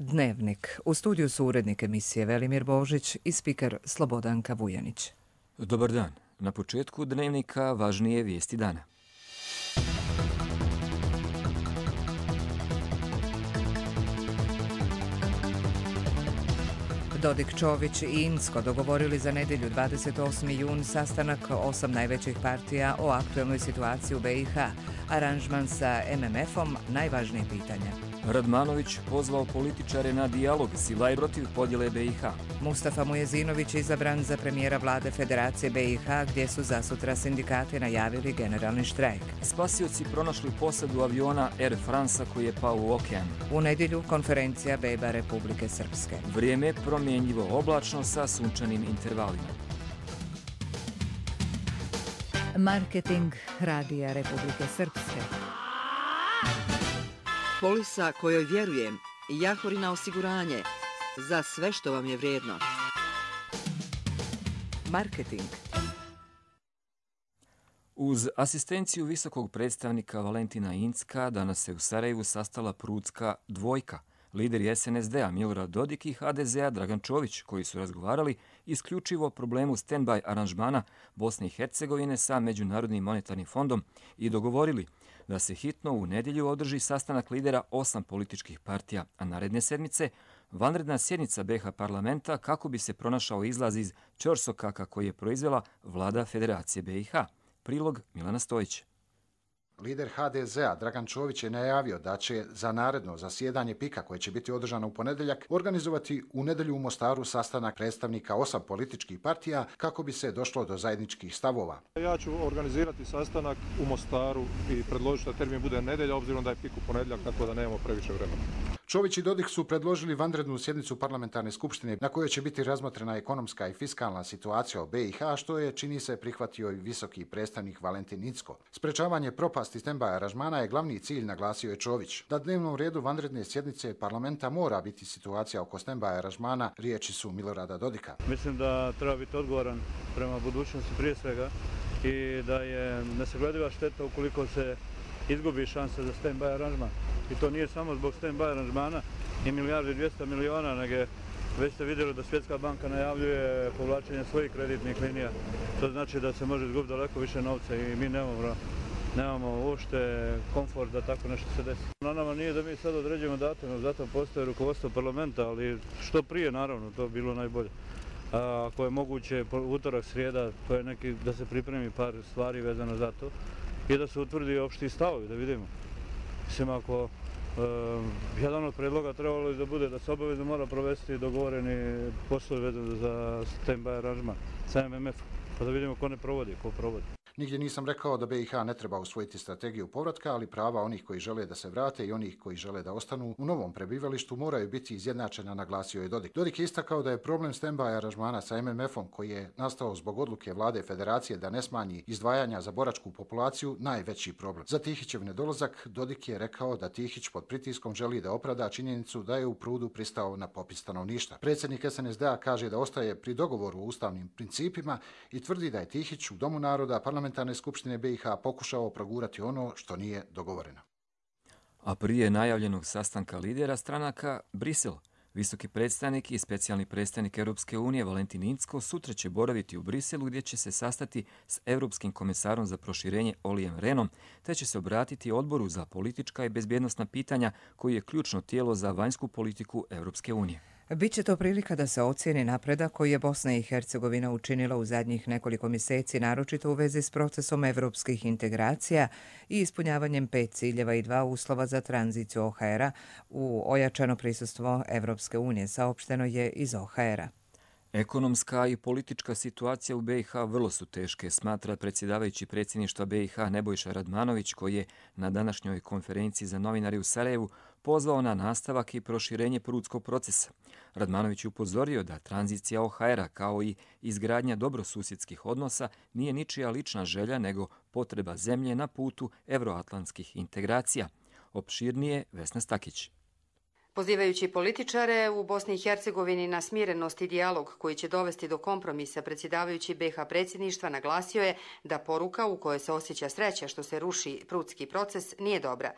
Dnevnik. U studiju su urednik emisije Velimir Božić i spiker Slobodanka Vujanić. Dobar dan. Na početku Dnevnika važnije vijesti dana. Dodik, Čović i Incko dogovorili za nedjelju 28. jun sastanak 8 najvećih partija o aktuelnoj situaciji u BiH. Aranžman sa MMF-om najvažnije pitanje. Radmanović pozvao političare na dijalog sila i protiv podjele BiH. Mustafa Mujezinović izabran za premijera vlade Federacije BiH, gdje su zasutra sindikati najavili generalni štrajk. Spasioci pronašli posadu aviona Air France koji je pao u okean. U nedjelju konferencija Beba Republike Srpske. Vrijeme promjenjivo oblačno sa sunčanim intervalima. Marketing Radija Republike Srpske. Polisa kojoj vjerujem, Jahorina osiguranje, za sve što vam je vrijedno. Marketing. Uz asistenciju visokog predstavnika Valentina Incka danas se u Sarajevu sastala Prudska dvojka. Lideri SNSD-a Milorad Dodik i HDZ-a Dragan Čović, koji su razgovarali isključivo o problemu stand-by aranžmana Bosne i Hercegovine sa Međunarodnim monetarnim fondom i dogovorili da se hitno u nedjelju održi sastanak lidera 8 političkih partija, a naredne sedmice vanredna sjednica BiH parlamenta kako bi se pronašao izlaz iz ćorsokaka koji je proizvela vlada Federacije BiH. Prilog Milana Stojić. Lider HDZ-a Dragan Čović je najavio da će za naredno zasjedanje PIK-a koje će biti održano u ponedjeljak organizovati u nedjelju u Mostaru sastanak predstavnika 8 političkih partija kako bi se došlo do zajedničkih stavova. Ja ću organizirati sastanak u Mostaru i predložiti da termin bude nedjelja, obzirom da je PIK u ponedjeljak, tako da nemamo previše vremena. Čović i Dodik su predložili vanrednu sjednicu parlamentarne skupštine na kojoj će biti razmotrena ekonomska i fiskalna situacija u BiH, što je, čini se, prihvatio i visoki predstavnik Valentin Incko. Sprečavanje propasti stand-by aranžmana je glavni cilj, naglasio je Čović. Na dnevnom redu vanredne sjednice parlamenta mora biti situacija oko stand-by aranžmana, riječi su Milorada Dodika. Mislim da treba biti odgovoran prema budućnosti prije svega i da je nesaglediva šteta ukoliko se izgubi šansa za stand-by aranžman. I to nije samo zbog stand-by aranžmana i milijardu i 200 miliona, nego već ste vidjeli da Svjetska banka najavljuje povlačenje svojih kreditnih linija. To znači da se može izgubiti daleko više novca i mi nemamo uopšte komfort da tako nešto se desi. Na nama nije da mi sad određujemo datum, zato postoje rukovodstvo parlamenta, ali što prije naravno, to bi bilo najbolje. Ako je moguće utorak, srijeda, to je neki da se pripremi par stvari vezano za to i da se utvrdi opšti stavovi, da vidimo. Mislim, ako jedan od predloga trebalo je da bude da se obavezno mora provesti dogovoreni poslovi vezano za stand-by aranžman sa MMF, pa da vidimo ko ne provodi, ko provodi. Nigdje nisam rekao da BiH ne treba usvojiti strategiju povratka, ali prava onih koji žele da se vrate i onih koji žele da ostanu u novom prebivalištu moraju biti izjednačena, naglasio je Dodik. Dodik je istakao da je problem stand-by aranžmana sa MMF-om koji je nastao zbog odluke vlade Federacije da ne smanji izdvajanja za boračku populaciju najveći problem. Za Tihićev nedolazak Dodik je rekao da Tihić pod pritiskom želi da opravda činjenicu da je u Prudu pristao na popis stanovništva. Predsjednik SNSD-a kaže da ostaje pri dogovoru o ustavnim principima i tvrdi da je Tihić u Domu naroda parlamentarne skupštine BiH pokušao progurati ono što nije dogovoreno. A prije najavljenog sastanka lidera stranaka, Brisel, visoki predstavnik i specijalni predstavnik Europske unije Valentin Incko sutra će boraviti u Briselu gdje će se sastati s Europskim komisarom za proširenje Ollijem Rehnom, te će se obratiti odboru za politička i bezbjednosna pitanja koji je ključno tijelo za vanjsku politiku Europske unije. Biće to prilika da se ocijeni napredak koji je Bosna i Hercegovina učinila u zadnjih nekoliko mjeseci, naročito u vezi s procesom evropskih integracija i ispunjavanjem 5 ciljeva i 2 uslova za tranziciju OHR-a u ojačano prisustvo Evropske unije, saopšteno je iz OHR-a. Ekonomska i politička situacija u BiH vrlo su teške, smatra predsjedavajući predsjedništva BiH Nebojša Radmanović, koji je na današnjoj konferenciji za novinare u Sarajevu pozvao na nastavak i proširenje prudskog procesa. Radmanović je upozorio da tranzicija OHR-a kao i izgradnja dobrosusjedskih odnosa nije ničija lična želja, nego potreba zemlje na putu evroatlantskih integracija. Opširnije Vesna Stakić. Pozivajući političare u Bosni i Hercegovini na smirenost i dijalog koji će dovesti do kompromisa, predsjedavajući BiH predsjedništva naglasio je da poruka u kojoj se osjeća sreća što se ruši prudski proces nije dobra.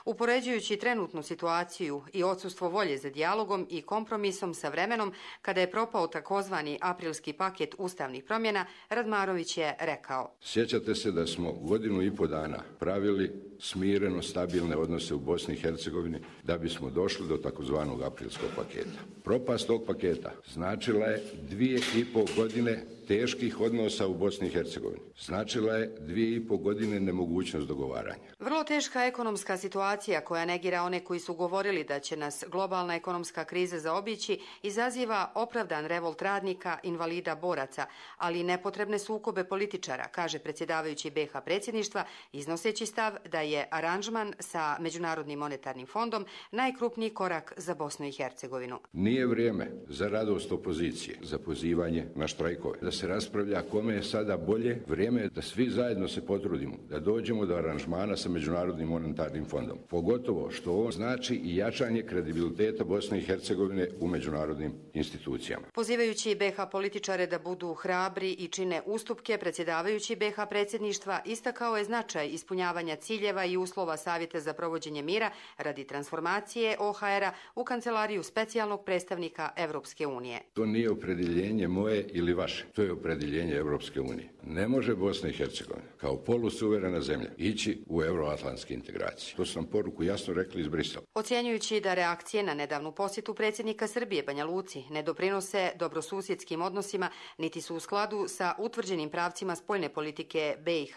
Upoređujući trenutnu situaciju i odsustvo volje za dijalogom i kompromisom sa vremenom, kada je propao takozvani aprilski paket ustavnih promjena, Radmarović je rekao: Sjećate se da smo 1,5 dana pravili smireno stabilne odnose u Bosni i Hercegovini da bismo došli do takozvanog aprilskog paketa. Propast tog paketa značila je 2,5 godine teških odnosa u Bosni i Hercegovini. Značila je 2,5 godine nemogućnost dogovaranja. Vrlo teška ekonomska situacija koja negira one koji su govorili da će nas globalna ekonomska kriza zaobići izaziva opravdan revolt radnika, invalida, boraca, ali i nepotrebne sukobe političara, kaže predsjedavajući BiH predsjedništva, iznoseći stav da je aranžman sa Međunarodnim monetarnim fondom najkrupniji korak za Bosnu i Hercegovinu. Nije vrijeme za radost opozicije, za pozivanje na štrajkove, da se raspravlja kome je sada bolje. Vrijeme je da svi zajedno se potrudimo, da dođemo do aranžmana sa Međunarodnim monetarnim fondom. Pogotovo što on znači i jačanje kredibiliteta Bosne i Hercegovine u međunarodnim institucijama. Pozivajući BiH političare da budu hrabri i čine ustupke, predsjedavajući BiH predsjedništva istakao je značaj ispunjavanja ciljeva i uslova Savjeta za provođenje mira radi transformacije OHR-a u kancelariju specijalnog predstavnika Evropske unije. To nije opredjeljenje moje ili vaše, to je opredjeljenje Evropske unije. Ne može Bosna i Hercegovina kao polusuverena zemlja ići u euroatlantske integracije. To su nam poruku jasno rekli iz Brisela. Ocjenjujući da reakcije na nedavnu posjetu predsjednika Srbije Banja Luci ne doprinose dobrosusjedskim odnosima, niti su u skladu sa utvrđenim pravcima spoljne politike BiH,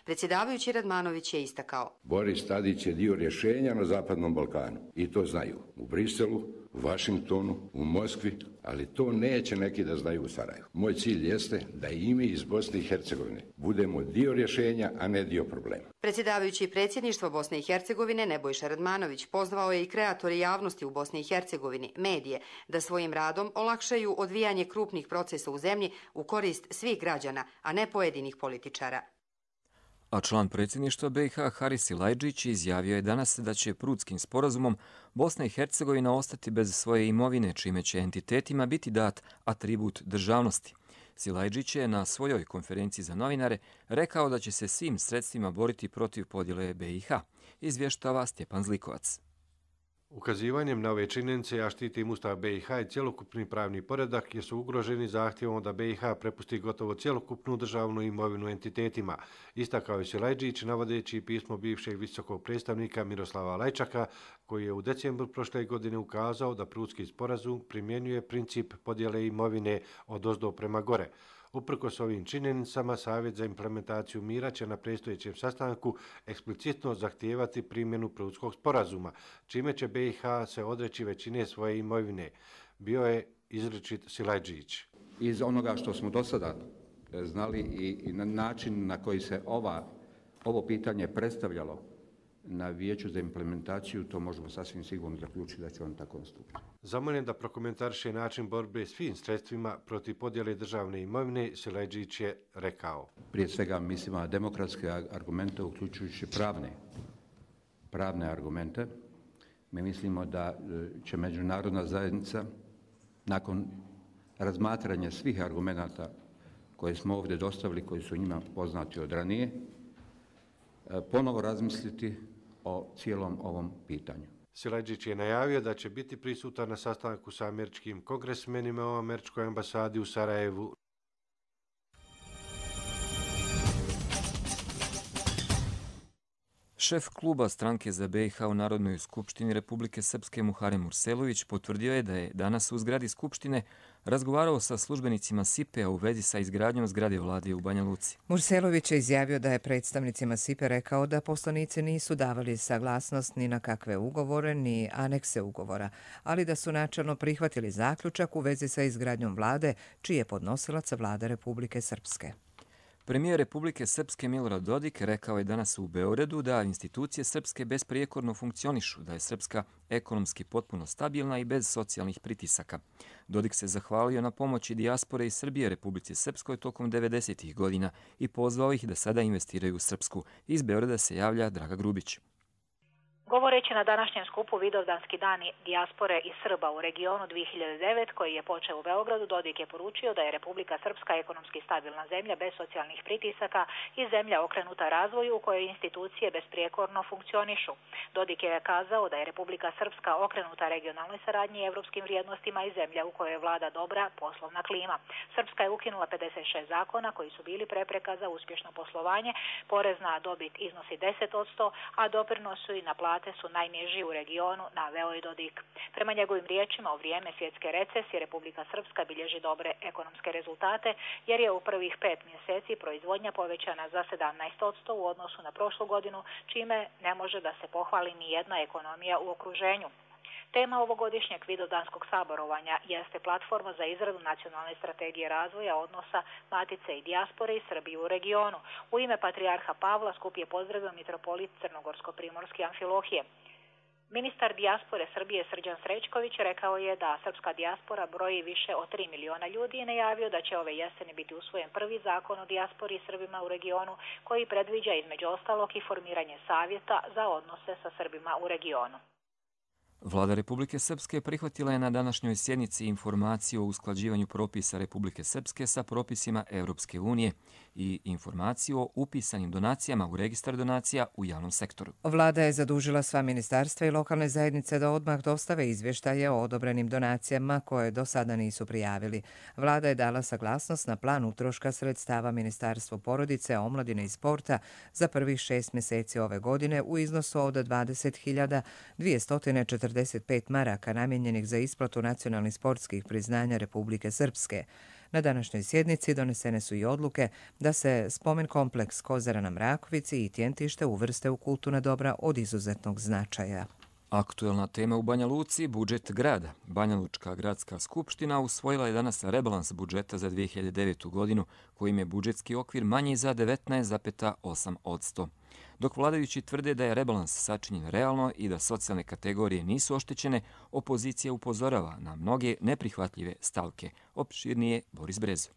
predsjedavajući Radmanović je istakao: Boris Tadić je dio rješenja na Zapadnom Balkanu i to znaju u Briselu, u Vašingtonu, u Moskvi, ali to neće neki da znaju u Sarajevu. Moj cilj jeste da i mi iz Bosne i Hercegovine budemo dio rješenja, a ne dio problema. Predsjedavajući predsjedništvo Bosne i Hercegovine Nebojša Radmanović pozvao je i kreatore javnosti u Bosni i Hercegovini, medije, da svojim radom olakšaju odvijanje krupnih procesa u zemlji u korist svih građana, a ne pojedinih političara. A član predsjedništva BiH Haris Silajdžić izjavio je danas da će Prutskim sporazumom Bosna i Hercegovina ostati bez svoje imovine, čime će entitetima biti dat atribut državnosti. Silajdžić je na svojoj konferenciji za novinare rekao da će se svim sredstvima boriti protiv podjele BiH. Izvještava Stjepan Zlikovac. Ukazivanjem na ove činjenice ja štitim Ustav BiH i cjelokupni pravni poredak jer su ugroženi zahtjevom da BiH prepusti gotovo cjelokupnu državnu imovinu entitetima, istakao je Silajdžić navodeći pismo bivšeg visokog predstavnika Miroslava Lajčaka koji je u decembru prošle godine ukazao da Prutski sporazum primjenjuje princip podjele imovine odozdo prema gore. Uprkos ovim činjenicama, Savjet za implementaciju mira će na predstojećem sastanku eksplicitno zahtijevati primjenu Prutskog sporazuma, čime će BiH se odreći većine svoje imovine. Bio je izričit Silajdžić. Iz onoga što smo do sada znali i na način na koji se ovo pitanje predstavljalo na Vijeću za implementaciju, to možemo sasvim sigurno zaključiti da će on tako nastupiti. Zamoljen da prokomentariše način borbe svim sredstvima protiv podjele državne imovine, Silajdžić je rekao: Prije svega mislimo na demokratske argumente, uključujući pravne argumente. Mi mislimo da će međunarodna zajednica nakon razmatranja svih argumenata koje smo ovdje dostavili, koji su njima poznati od ranije, ponovo razmisliti o cijelom ovom pitanju. Silajdžić je najavio da će biti prisutan na sastanku sa američkim kongresmenima u američkoj ambasadi u Sarajevu. Šef kluba stranke za BiH u Narodnoj skupštini Republike Srpske Muharem Urselović potvrdio je da je danas u zgradi Skupštine razgovarao sa službenicima SIPE-a u vezi sa izgradnjom zgrade vlade u Banja Luci. Murselović je izjavio da je predstavnicima SIPE rekao da poslanici nisu davali saglasnost ni na kakve ugovore ni anekse ugovora, ali da su načelno prihvatili zaključak u vezi sa izgradnjom vlade, čiji je podnosilac vlada Republike Srpske. Premijer Republike Srpske Milorad Dodik rekao je danas u Beogradu da institucije Srpske besprijekorno funkcionišu, da je Srpska ekonomski potpuno stabilna i bez socijalnih pritisaka. Dodik se zahvalio na pomoći dijaspore iz Srbije Republici Srpskoj tokom 90. godina i pozvao ih da sada investiraju u Srpsku. Iz Beograda se javlja Draga Grubić. Govoreći na današnjem skupu Vidovdanski dani dijaspore i Srba u regionu 2009, koji je počeo u Beogradu, Dodik je poručio da je Republika Srpska ekonomski stabilna zemlja bez socijalnih pritisaka i zemlja okrenuta razvoju u kojoj institucije besprijekorno funkcionišu. Dodik je kazao da je Republika Srpska okrenuta regionalnoj saradnji i evropskim vrijednostima i zemlja u kojoj vlada dobra poslovna klima. Srpska je ukinula 56 zakona koji su bili prepreka za uspješno poslovanje, porez na dobit iznosi 10%, a doprinosi na su najniži u regionu, naveo je Dodik. Prema njegovim riječima, u vrijeme svjetske recesije Republika Srpska bilježi dobre ekonomske rezultate, jer je u prvih 5 mjeseci proizvodnja povećana za 17% u odnosu na prošlu godinu, čime ne može da se pohvali ni jedna ekonomija u okruženju. Tema ovogodišnjeg Vidovdanskog saborovanja jeste platforma za izradu nacionalne strategije razvoja odnosa Matice i dijaspore i Srbije u regionu. U ime patrijarha Pavla skup je pozdravio mitropolit Crnogorsko-primorski Amfilohije. Ministar dijaspore Srbije Srđan Srećković rekao je da srpska dijaspora broji više od 3 miliona ljudi i najavio da će ove jeseni biti usvojen prvi zakon o dijaspori i Srbima u regionu koji predviđa između ostalog i formiranje savjeta za odnose sa Srbima u regionu. Vlada Republike Srpske prihvatila je na današnjoj sjednici informaciju o usklađivanju propisa Republike Srpske sa propisima Europske unije i informaciju o upisanim donacijama u registar donacija u javnom sektoru. Vlada je zadužila sva ministarstva i lokalne zajednice da odmah dostave izvještaje o odobrenim donacijama koje do sada nisu prijavili. Vlada je dala saglasnost na plan utroška sredstava Ministarstvo porodice, omladine i sporta za prvih 6 mjeseci ove godine u iznosu od 20.245 maraka namijenjenih za isplatu nacionalnih sportskih priznanja Republike Srpske. Na današnjoj sjednici donesene su i odluke da se spomen kompleks Kozara na Mrakovici i Tjentište uvrste u kulturna dobra od izuzetnog značaja. Aktuelna tema u Banja Luci, budžet grada. Banja Lučka gradska skupština usvojila je danas rebalans budžeta za 2009. godinu, kojim je budžetski okvir manji za 19,8%. Dok vladajući tvrde da je rebalans sačinjen realno i da socijalne kategorije nisu oštećene, opozicija upozorava na mnoge neprihvatljive stavke. Opširnije Boris Brezo.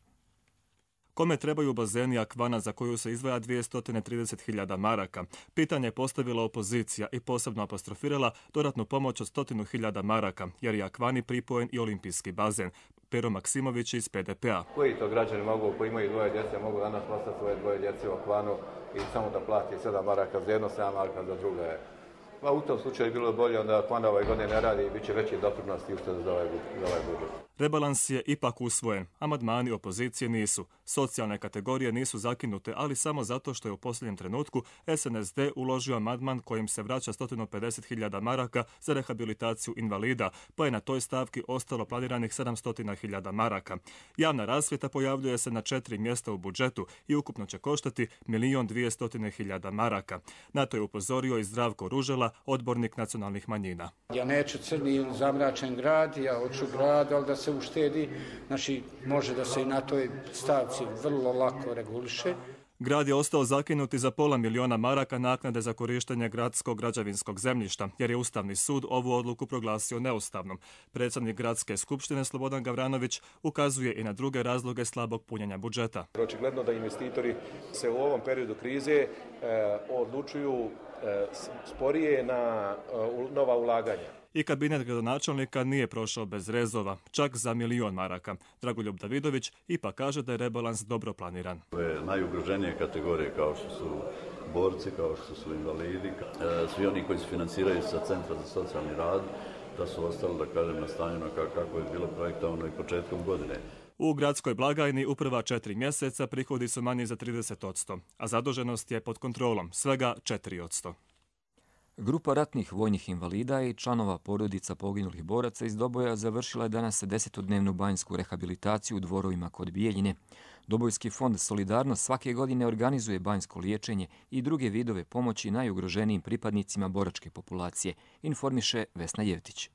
Kome trebaju bazeni Akvana za koju se izdvaja 230.000 maraka? Pitanje je postavila opozicija i posebno apostrofirala dodatnu pomoć od 100.000 maraka, jer je Akvani pripojen i olimpijski bazen. Pero Maksimović iz PDP-a. Koji to građani mogu, koji imaju dvoje djece, mogu danas poslati svoje dvoje djece u Akvanu i samo da plati 7 maraka za jedno, 7 maraka za drugo je. Pa u tom slučaju je bilo bolje onda Akvana ove godine ne radi i bit će veći doprinos i ušteda za ovaj budžet. Rebalans je ipak usvojen. Amandmani opozicije nisu. Socijalne kategorije nisu zakinute, ali samo zato što je u posljednjem trenutku SNSD uložio amandman kojim se vraća 150.000 maraka za rehabilitaciju invalida, pa je na toj stavki ostalo planiranih 700.000 maraka. Javna rasvjeta pojavljuje se na 4 mjesta u budžetu i ukupno će koštati 1.200.000 maraka. Na to je upozorio i Zdravko Ružela, odbornik nacionalnih manjina. Ja neću crni ili zamračen grad, ja hoću grad, ali da se uštedi, znači može da se i na toj stavci vrlo lako reguliše. Grad je ostao zakinut za $500.000 maraka naknade za korištenje gradskog građevinskog zemljišta, jer je Ustavni sud ovu odluku proglasio neustavnom. Predsjednik Gradske skupštine Slobodan Gavranović ukazuje i na druge razloge slabog punjenja budžeta. Očigledno da investitori se u ovom periodu krize odlučuju sporije na nova ulaganja. I kabinet gradonačelnika nije prošao bez rezova, čak za 1.000.000 maraka. Dragoljub Davidović ipak kaže da je rebalans dobro planiran. Ove najugroženije kategorije kao što su borci, kao što su invalidi, svi oni koji se financiraju sa Centra za socijalni rad, da su ostali, da kažem, nastanjeno kako je bilo projektovano i početkom godine. U gradskoj blagajni u prva 4 mjeseca prihodi su manji za 30%, a zaduženost je pod kontrolom, svega 4%. Grupa ratnih vojnih invalida i članova porodica poginulih boraca iz Doboja završila je danas 10-dnevnu banjsku rehabilitaciju u Dvorovima kod Bijeljine. Dobojski fond Solidarnost svake godine organizuje banjsko liječenje i druge vidove pomoći najugroženijim pripadnicima boračke populacije, informiše Vesna Jevtić.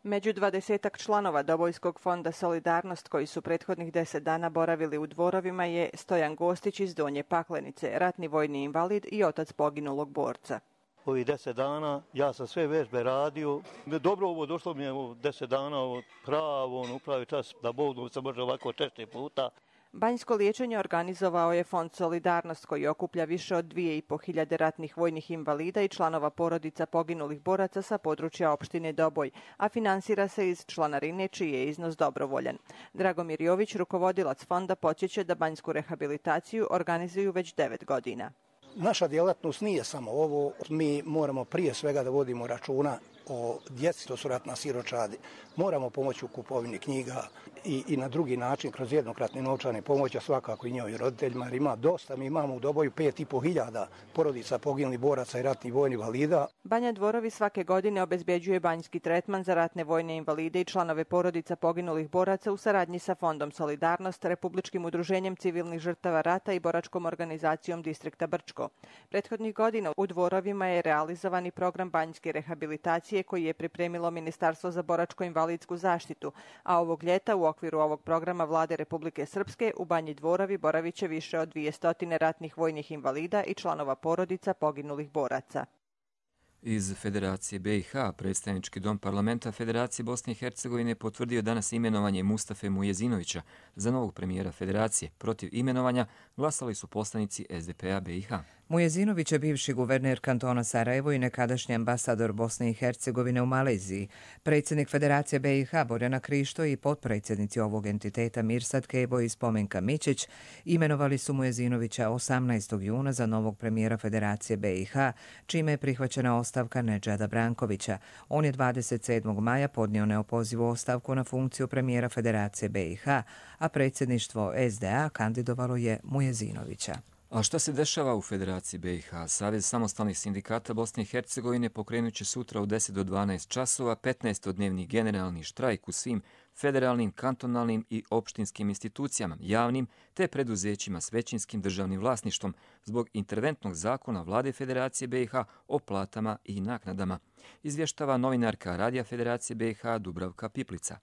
Među 20-ak članova Dobojskog fonda Solidarnost koji su prethodnih 10 dana boravili u Dvorovima je Stojan Gostić iz Donje Paklenice, ratni vojni invalid i otac poginulog borca. Ovih 10 dana ja sam sve vežbe radio. Dobro ovo došlo mi je 10 dana pravo upravi čas da Bog se može ovako češće puta. Banjsko liječenje organizovao je Fond Solidarnost koji okuplja više od 2.500 ratnih vojnih invalida i članova porodica poginulih boraca sa područja opštine Doboj, a finansira se iz članarine čiji je iznos dobrovoljan. Dragomir Jović, rukovodilac fonda, podsjeća da banjsku rehabilitaciju organizuju već 9 godina. Naša djelatnost nije samo ovo, mi moramo prije svega da vodimo računa o djeci, to su ratna siročadi. Moramo pomoći u kupovini knjiga i na drugi način kroz jednokratne novčane pomoći, svakako i njihovim roditeljima, jer ima dosta. Mi imamo u Doboju 5.500 porodica poginulih boraca i ratnih vojnih invalida. Banja Dvorovi svake godine obezbeđuje banjski tretman za ratne vojne invalide i članove porodica poginulih boraca u saradnji sa Fondom Solidarnost, Republičkim udruženjem civilnih žrtava rata i boračkom organizacijom Distrikta Brčko. Prethodnih godina u Dvorovima je realizovani program banjske rehabilitacije koji je pripremilo Ministarstvo za boračko-invalidsku zaštitu, a ovog ljeta u okviru ovog programa Vlade Republike Srpske u Banji Dvorovi boravit će više od 200 ratnih vojnih invalida i članova porodica poginulih boraca. Iz Federacije BiH predstavnički dom parlamenta Federacije Bosne i Hercegovine potvrdio danas imenovanje Mustafe Mujezinovića za novog premijera Federacije. Protiv imenovanja glasali su poslanici SDP-a BiH. Mujezinović je bivši guverner kantona Sarajevo i nekadašnji ambasador Bosne i Hercegovine u Maleziji. Predsjednik Federacije BiH Borjana Krišto i potpredsjednici ovog entiteta Mirsad Kebo i Spomenka Mićić imenovali su Mujezinovića 18. juna za novog premijera Federacije BiH, čime je prihvaćena ostavka Nedžada Brankovića. On je 27. maja podnio neopozivu ostavku na funkciju premijera Federacije BiH, a predsjedništvo SDA kandidovalo je Mujezinovića. A šta se dešava u Federaciji BiH? Savez samostalnih sindikata Bosne i Hercegovine pokrenut će sutra u 10 do 12 časova 15-dnevni generalni štrajk u svim federalnim, kantonalnim i opštinskim institucijama, javnim te preduzećima s većinskim državnim vlasništvom zbog interventnog zakona Vlade Federacije BiH o platama i naknadama, izvještava novinarka Radija Federacije BiH Dubravka Piplica.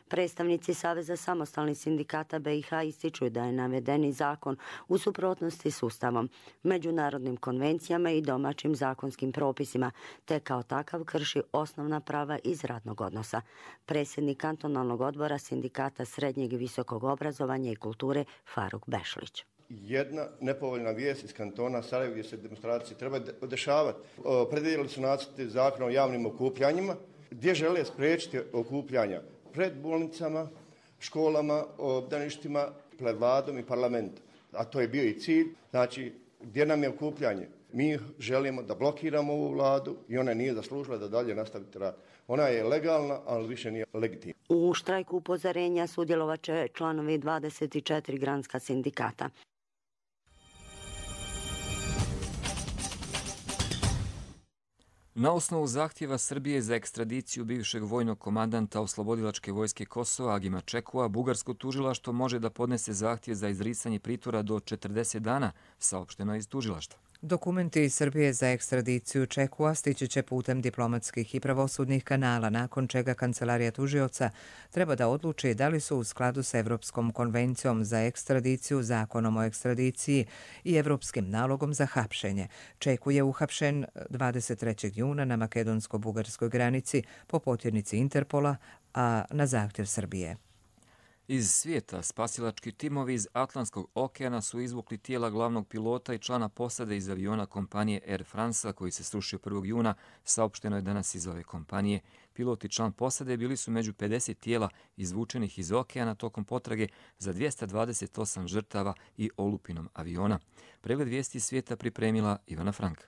Predstavnici Saveza samostalnih sindikata BiH ističu da je navedeni zakon u suprotnosti s Ustavom, međunarodnim konvencijama i domaćim zakonskim propisima, te kao takav krši osnovna prava iz radnog odnosa. Predsjednik kantonalnog odbora sindikata srednjeg i visokog obrazovanja i kulture Faruk Bešlić. Jedna nepovoljna vijest iz kantona Sarajevo gdje se demonstracije treba dešavati. Predvidjeli su nacrte zakona o javnim okupljanjima gdje žele spriječiti okupljanja pred bolnicama, školama, obdaništima, pred vladom i parlamentom. A to je bio i cilj. Znači, gdje nam je okupljanje? Mi želimo da blokiramo ovu vladu i ona nije zaslužila da dalje nastaviti rad. Ona je legalna, ali više nije legitimna. U štrajku upozorenja sudjelovat će članovi 24 granska sindikata. Na osnovu zahtjeva Srbije za ekstradiciju bivšeg vojnog komandanta Oslobodilačke vojske Kosova Agima Čekua, bugarsko tužilaštvo može da podnese zahtjev za izricanje pritvora do 40 dana, saopšteno je iz tužilaštva. Dokumenti iz Srbije za ekstradiciju Čekua stići će putem diplomatskih i pravosudnih kanala, nakon čega Kancelarija tužioca treba da odluči da li su u skladu sa Evropskom konvencijom za ekstradiciju, Zakonom o ekstradiciji i Evropskim nalogom za hapšenje. Čeku je uhapšen 23. juna na makedonsko-bugarskoj granici po potjernici Interpola, a na zahtjev Srbije. Iz svijeta spasilački timovi iz Atlantskog okeana su izvukli tijela glavnog pilota i člana posade iz aviona kompanije Air France koji se srušio 1. juna, saopšteno je danas iz ove kompanije. Pilot i član posade bili su među 50 tijela izvučenih iz okeana tokom potrage za 228 žrtava i olupinom aviona. Pregled vijesti svijeta pripremila Ivana Frank.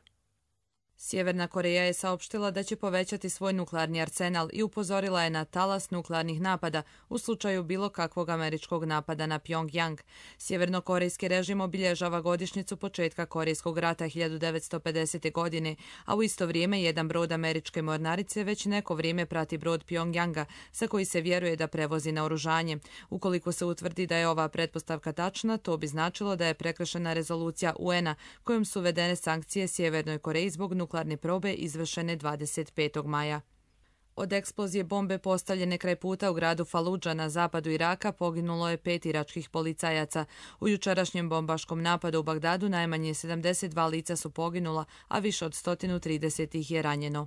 Sjeverna Koreja je saopštila da će povećati svoj nuklearni arsenal i upozorila je na talas nuklearnih napada u slučaju bilo kakvog američkog napada na Pjongjang. Sjevernokorejski režim obilježava godišnjicu početka Korejskog rata 1950. godine, a u isto vrijeme jedan brod američke mornarice već neko vrijeme prati brod Pjongjanga, sa koji se vjeruje da prevozi naoružanje. Ukoliko se utvrdi da je ova pretpostavka tačna, to bi značilo da je prekršena rezolucija UN-a kojom su uvedene sankcije Sjevernoj Koreji zbog nuklearne probe izvršene 25. maja. Od eksplozije bombe postavljene kraj puta u gradu Faludža na zapadu Iraka poginulo je 5 iračkih policajaca. U jučerašnjem bombaškom napadu u Bagdadu najmanje 72 lica su poginula, a više od 130 ih je ranjeno.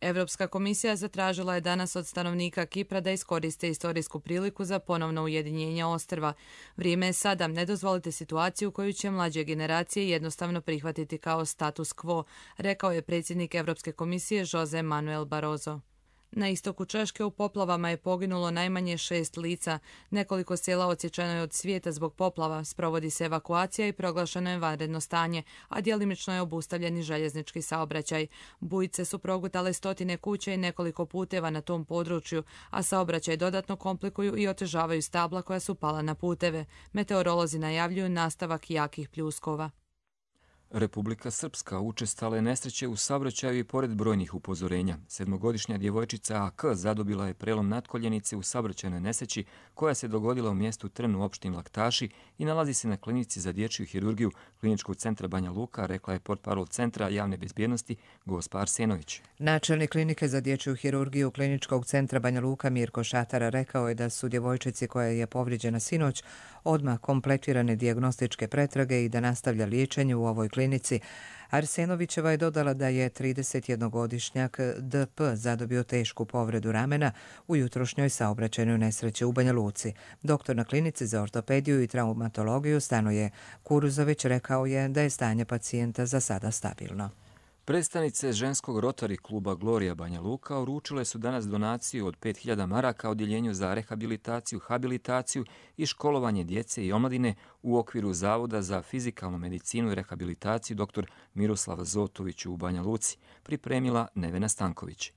Evropska komisija zatražila je danas od stanovnika Kipra da iskoriste istorijsku priliku za ponovno ujedinjenje ostrva. Vrijeme je sada, ne dozvolite situaciju koju će mlađe generacije jednostavno prihvatiti kao status quo, rekao je predsjednik Evropske komisije Jose Manuel Barroso. Na istoku Češke u poplavama je poginulo najmanje 6 lica. Nekoliko sela odsječeno je od svijeta zbog poplava, sprovodi se evakuacija i proglašeno je vanredno stanje, a djelimično je obustavljen i željeznički saobraćaj. Bujice su progutale stotine kuća i nekoliko puteva na tom području, a saobraćaj dodatno komplikuju i otežavaju stabla koja su pala na puteve. Meteorolozi najavljuju nastavak jakih pljuskova. Republika Srpska učestale nesreće u saobraćaju i pored brojnih upozorenja. 7-godišnja djevojčica AK zadobila je prelom natkoljenice u saobraćajnoj nesreći koja se dogodila u mjestu Trn u opštini Laktaši i nalazi se na klinici za dječju hirurgiju Kliničkog centra Banja Luka, rekla je portparol Centra javne bezbjednosti Gospa Arsenović. Načelnik klinike za dječju hirurgiju Kliničkog centra Banja Luka Mirko Šatara rekao je da su djevojčici koja je povrijeđena sinoć odmah kompletirane dijagnostičke pretrage i da nastavlja liječenje u ovoj klinici. Arsenovićeva je dodala da je 31-godišnjak DP zadobio tešku povredu ramena u jutrošnjoj saobraćajnoj nesreći u Banja Luci. Doktor na klinici za ortopediju i traumatologiju Stanoje Kuruzović rekao je da je stanje pacijenta za sada stabilno. Predstavnice ženskog Rotary kluba Gloria Banja Luka uručile su danas donaciju od 5000 maraka odjeljenju za rehabilitaciju, habilitaciju i školovanje djece i omladine u okviru Zavoda za fizikalnu medicinu i rehabilitaciju dr. Miroslava Zotović u Banja Luci, pripremila Nevena Stanković.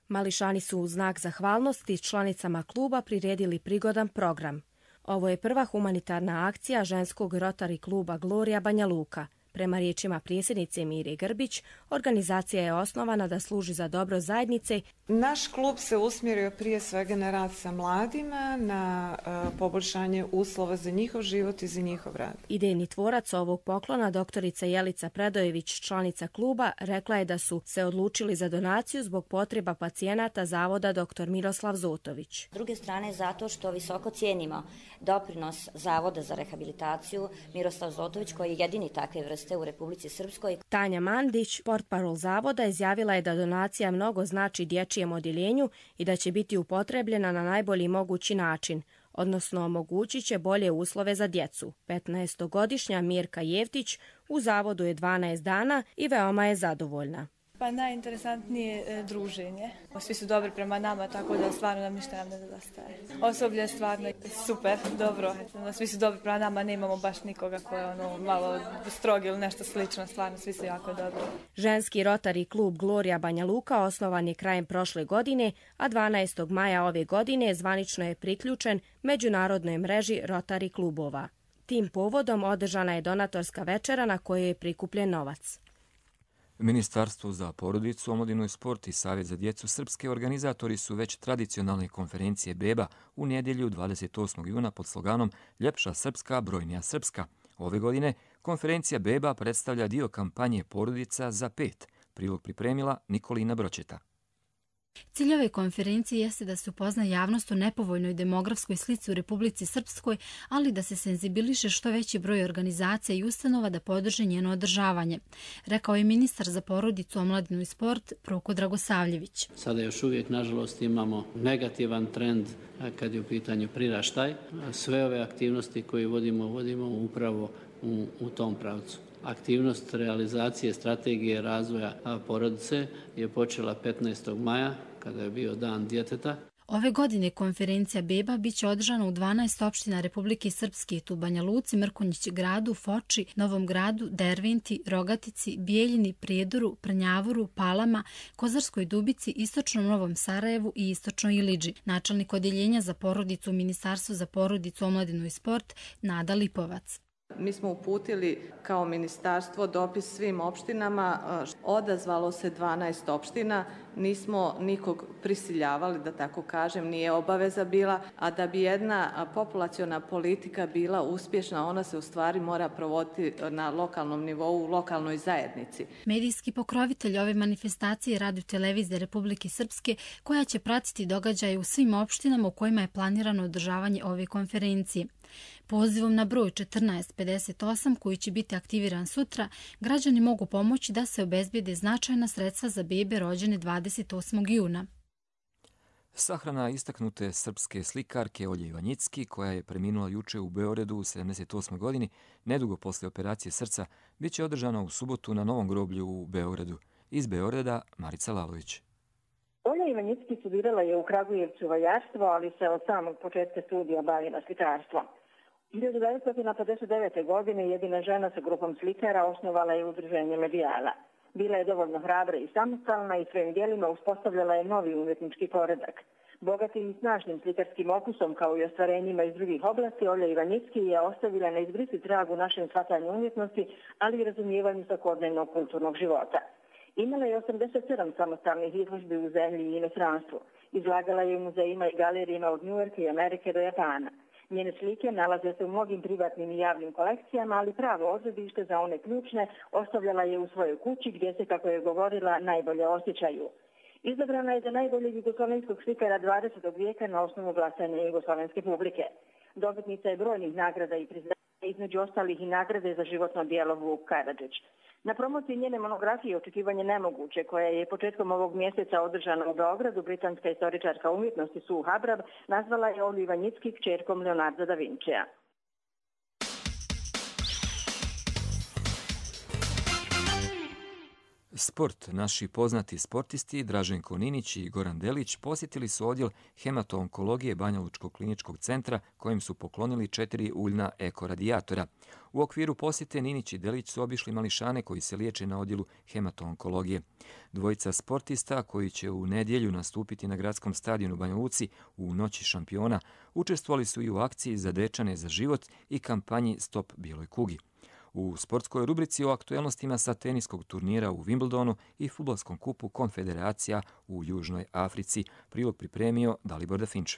Mališani su u znak zahvalnosti članicama kluba priredili prigodan program. Ovo je prva humanitarna akcija ženskog Rotary kluba Gloria Banja Luka. Prema riječima predsjednice Mire Grbić, organizacija je osnovana da služi za dobro zajednice. Naš klub se usmjerio prije svega na rad sa mladima, na poboljšanje uslova za njihov život i za njihov rad. Idejni tvorac ovog poklona, doktorica Jelica Predojević, članica kluba, rekla je da su se odlučili za donaciju zbog potreba pacijenata Zavoda dr. Miroslav Zotović. S druge strane, zato što visoko cijenimo doprinos Zavoda za rehabilitaciju Miroslav Zotović, koji je jedini takve vrste u Republici Srpskoj. Tanja Mandić, portparol Zavoda, izjavila je da donacija mnogo znači dječjem odjeljenju i da će biti upotrebljena na najbolji mogući način, odnosno omogućit će bolje uslove za djecu. 15-godišnja Mirka Jevtić u Zavodu je 12 dana i veoma je zadovoljna. Pa najinteresantnije druženje. Svi su dobri prema nama, tako da stvarno nam ništa ne nedostaje. Osoblje je stvarno super, dobro. Svi su dobri prema nama, nemamo baš nikoga ko je malo strog ili nešto slično, stvarno svi su jako dobri. Ženski Rotary klub Gloria Banja Luka osnovan je krajem prošle godine, a 12. maja ove godine zvanično je priključen međunarodnoj mreži Rotary klubova. Tim povodom održana je donatorska večera na kojoj je prikupljen novac. Ministarstvo za porodicu, omladinu i sport i Savjet za djecu Srpske organizatori su već tradicionalne konferencije beba u nedjelju 28. juna pod sloganom Ljepša Srpska, brojnija Srpska. Ove godine konferencija beba predstavlja dio kampanje Porodica za 5. Prilog pripremila Nikolina Bročeta. Cilj ove konferencije jeste da se upozna javnost o nepovoljnoj demografskoj slici u Republici Srpskoj, ali da se senzibiliše što veći broj organizacija i ustanova da podrže njeno održavanje, rekao je ministar za porodicu, omladinu i sport Proko Dragosavljević. Sada još uvijek, nažalost, imamo negativan trend kad je u pitanju priraštaj. Sve ove aktivnosti koje vodimo upravo u tom pravcu. Aktivnost realizacije strategije razvoja porodice je počela 15. maja, kada je bio Dan djeteta. Ove godine konferencija beba biće održana u 12 opština Republike Srpske, tu Banja Luci, Mrkonjić gradu, Foči, Novom gradu, Derventi, Rogatici, Bijeljini, Prijedoru, Prnjavoru, Palama, Kozarskoj Dubici, Istočnom Novom Sarajevu i Istočnoj Iliđi. Načelnik odjeljenja za porodicu u Ministarstvu za porodicu, omladinu i sport Nada Lipovac. Mi smo uputili kao ministarstvo dopis svim opštinama, odazvalo se 12 opština nismo nikog prisiljavali, da tako kažem, nije obaveza bila, a da bi jedna populaciona politika bila uspješna, ona se u stvari mora provoditi na lokalnom nivou, u lokalnoj zajednici. Medijski pokrovitelj ove manifestacije je Radio-televizija Republike Srpske, koja će pratiti događaje u svim opštinama u kojima je planirano održavanje ove konferencije. Pozivom na broj 1458, koji će biti aktiviran sutra, građani mogu pomoći da se obezbijede značajna sredstva za bebe rođene 28. juna. Sahrana istaknute srpske slikarke Olje Ivanjicki, koja je preminula juče u Beogradu u 78. godini, nedugo posle operacije srca, bit će održana u subotu na Novom groblju u Beogradu. Iz Beograda Marica Lalović. Olja Ivanjicki studirala je u Kragujevcu vajarstvo, ali se od samog početka studija bavila slikarstvom. 1959. godine jedina žena sa grupom slikara osnovala je udruženje Medijala. Bila je dovoljno hrabra i samostalna i svojim djelima uspostavljala je novi umjetnički poredak. Bogatim i snažnim slikarskim okusom, kao i ostvarenjima iz drugih oblasti, Olja Ivanjicki je ostavila neizbrisiv trag u našem shvatanju umjetnosti, ali i razumijevanju svakodnevnog kulturnog života. Imala je 87 samostalnih izložbi u zemlji i inostranstvu. Izlagala je u muzejima i galerijima od Njujorka i Amerike do Japana. Njene slike nalaze se u mnogim privatnim i javnim kolekcijama, ali pravo odredište za one ključne ostavljala je u svojoj kući, gdje se, kako je govorila, najbolje osjećaju. Izabrana je za najboljeg jugoslovenskog slikara 20. vijeka na osnovu glasanja jugoslovenske publike. Dobitnica je brojnih nagrada i priznanja, između ostalih i nagrade za životno djelo Vuk Karadžić. Na promociji njene monografije Očekivanje nemoguće, koja je početkom ovog mjeseca održana u Beogradu, britanska istoričarka umjetnosti Sue Habrab nazvala je Olju Ivanjicki kćerkom Leonarda da Vincija. Sport. Naši poznati sportisti Draženko Ninić i Goran Delić posjetili su odjel hemato-onkologije Banjalučkog kliničkog centra, kojim su poklonili 4 uljna ekoradijatora. U okviru posjete Ninić i Delić su obišli mališane koji se liječe na odjelu hemato-onkologije. Dvojica sportista, koji će u nedjelju nastupiti na gradskom stadionu Banja Luci u Noći šampiona, učestvovali su i u akciji za dečane za život i kampanji Stop bijeloj kugi. U sportskoj rubrici o aktuelnostima sa teniskog turnira u Wimbledonu i fudbalskom kupu Konfederacija u Južnoj Africi prilog pripremio Dalibor Dafinč.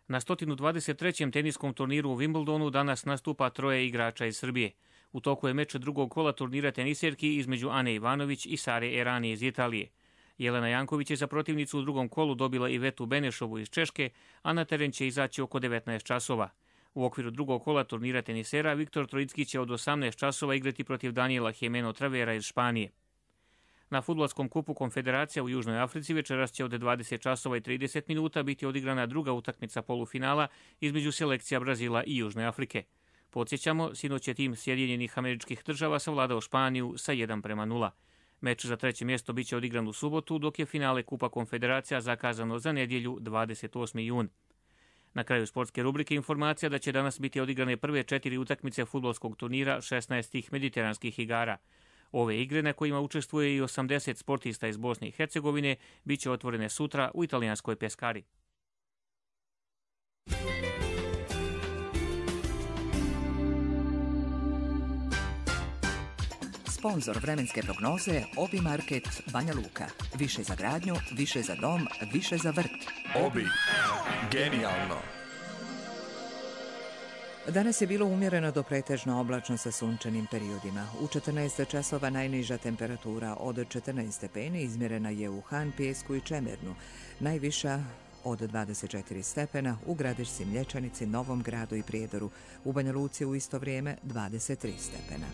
Na 123. teniskom turniru u Wimbledonu danas nastupa 3 igrača iz Srbije. U toku je meč drugog kola turnira tenisjerki između Ane Ivanović i Sare Erani iz Italije. Jelena Janković je za protivnicu u drugom kolu dobila Ivetu Benešovu iz Češke, a na teren će izaći oko 19 časova. U okviru drugog kola turnira tenisera Viktor Trojicki će od 18 časova igrati protiv Daniela Jimeno Travera iz Španije. Na fudbalskom kupu Konfederacija u Južnoj Africi večeras će od 20 časova i 30 minuta biti odigrana druga utakmica polufinala između selekcija Brazila i Južne Afrike. Podsjećamo, sinoć je tim Sjedinjenih Američkih Država savladao Španiju sa 1:0. Meč za 3. mjesto biće odigran u subotu, dok je finale Kupa Konfederacija zakazano za nedjelju 28. jun. Na kraju sportske rubrike informacija da će danas biti odigrane prve 4 utakmice fudbalskog turnira 16 mediteranskih igara. Ove igre, na kojima učestvuje i 80 sportista iz Bosne i Hercegovine, bit će otvorene sutra u italijanskoj Peskari. Sponzor vremenske prognoze Obi Market Banja Luka. Više za gradnju, više za dom, više za vrt. Obi. Genijalno. Danas je bilo umjereno do pretežno oblačno sa sunčanim periodima. U 14 časova najniža temperatura od 14 stepeni izmjerena je u Han, Pijesku i Čemernu. Najviša od 24 stepena u Gradišci, Mlječanici, Novom Gradu i Prijedoru. U Banja Luci u isto vrijeme 23 stepena.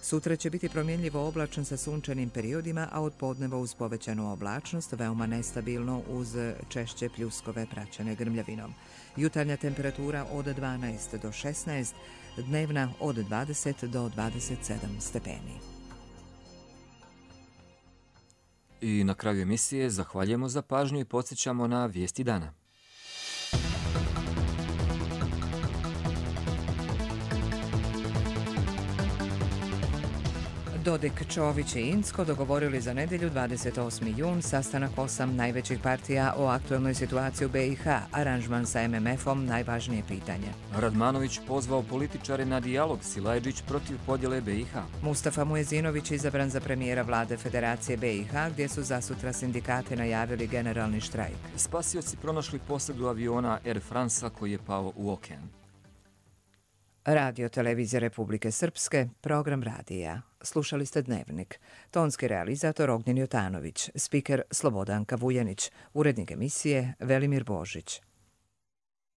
Sutra će biti promjenljivo oblačno sa sunčanim periodima, a od podneva uz povećanu oblačnost veoma nestabilno uz češće pljuskove praćene grmljavinom. Jutarnja temperatura od 12 do 16, dnevna od 20 do 27 stepeni. I na kraju emisije zahvaljujemo za pažnju i podsjećamo na vijesti dana. Dodik, Čović i Incko dogovorili za nedjelju 28. jun sastanak 8 najvećih partija o aktualnoj situaciji u BiH, aranžman sa MMF-om najvažnije pitanje. Radmanović pozvao političare na dijalog, Silajdžić protiv podjele BiH. Mustafa Mujezinović izabran za premijera vlade Federacije BiH, gdje su zasutra sindikati najavili generalni štrajk. Spasioci pronašli posadu aviona Air France-a koji je pao u okean. Radio Televizija Republike Srpske, program radija. Slušali ste Dnevnik. Tonski realizator Ognjen Jotanović, spiker Slobodanka Vujanić, urednik emisije Velimir Božić.